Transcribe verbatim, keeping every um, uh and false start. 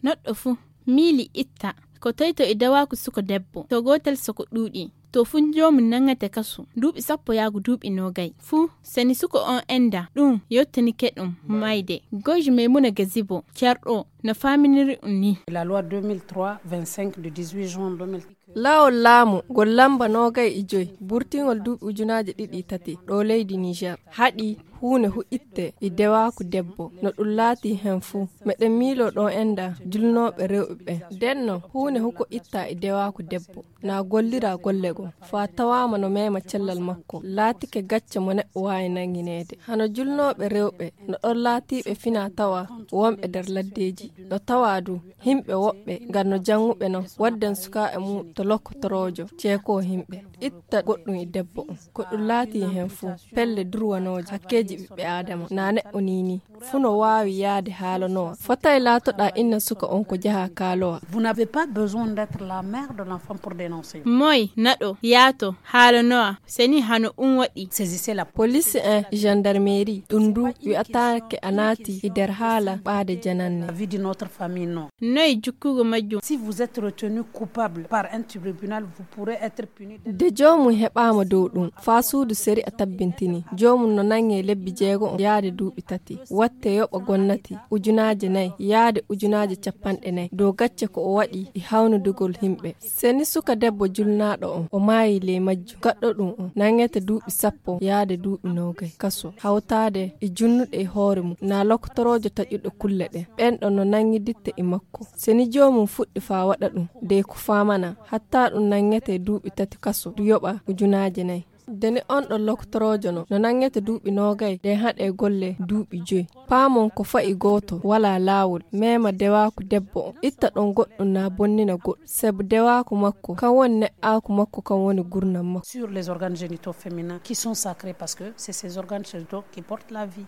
Neɗɗo fuu miili itta ko toy to e dewaaku suko debbo, to gootel soko ɗuuɗi, to fuu joomum nangete kasu duuɓi sappo yaago duuɓi noogay. Fuu seni suko on enda ɗum yottanike ɗum mayde. Goji Maymuna Gazibo, cerɗo, no faaminiri ɗum ni. La loi deux mille trois vingt-cinq du dix-huit juin deux mille trois. Laawol laamu ngol lamba noogay e joy burtingol duuɓi ujunaaji ɗiɗi tati ɗo leydi Niger haɗi huunde hu itte e dewaaku debbo. No ɗum laati heen fuu, meɗen miiloo ɗo enda julnooɓe rewɓe ɓen. Nden non, huunde hu ko itta e dewaaku debbo, na gollira golle goo, faa tawaama no meema cellal makko, laatike gacce mo neɗɗo waawi nanngineede. Hano julnooɓe rewɓe no ɗon laatiiɓe fina tawa wonɓe nder laddeeji, no tawa du himɓe woɓɓe ngan no jannguɓe non, wadden sukaaɓe mum to lokkotoroojo ceekoo himɓe. Itta goɗɗum e debbo on, ko ɗum laati heen fuu, pelle durwanooje hakkeeji ɓiɓɓe Aadama, na neɗɗo nii nii. Fuu no waawi yaade haalanowa. Fotay laatoɗaa inna suka on ko jaha kaalowa. Vous n'avez pas besoin d'être la mère de l'enfant pour dénoncer. Moy naɗo yaato haalanowa, seni hano un waɗi. Saisissez la police, hein, gendarmerie, ɗum du wi'ataake a naati e nder haala ɓaade jananne. La vie de notre famille, non. Noy jukkugo majjum? Si vous êtes retenu coupable par un tribunal, vous pourrez être puni de. De joomum heɓaama dow ɗum, faa suudu seri a tabbintini, joomum no nange lebbi jeego on yaade duuɓi tati, watte yoɓa gonnati ujunaaje nayi yaade ujunaaje cappanɗe nayi dow gacce ko o waɗi e hawnidugol himɓe. Seni suka debbo julnaaɗo on, o maayi ley majjum, gaɗɗo ɗum on nangete duuɓi sappo yaade duuɓi noogay kaso, hawtaade e junnuɗe e hoore mum, na lokotoroojo taƴuɗo kulle ɗen. Ɓen ɗon no nangiditte e makko. Seni joomum fuɗɗi faa waɗa ɗum, dey ko faamana, hatta ɗum nangete duuɓi tati kaso, du yoɓa ujunaaje nayi. Deni on ɗon lokotoroojo no, no nangete duuɓi noogay, dey haɗe golle duuɓi joy. Paamon ko fa'i gooto, walaa laawol, meema dewaaku debbo on, itta ɗon goɗɗum na bonnina goɗɗum. Sabu dewaaku makko, kan woni neɗɗaaku makko, kan woni gurnam makko. Sur les organes génitaux féminins qui sont sacrés parce que c'est ces organes génitaux qui portent la vie.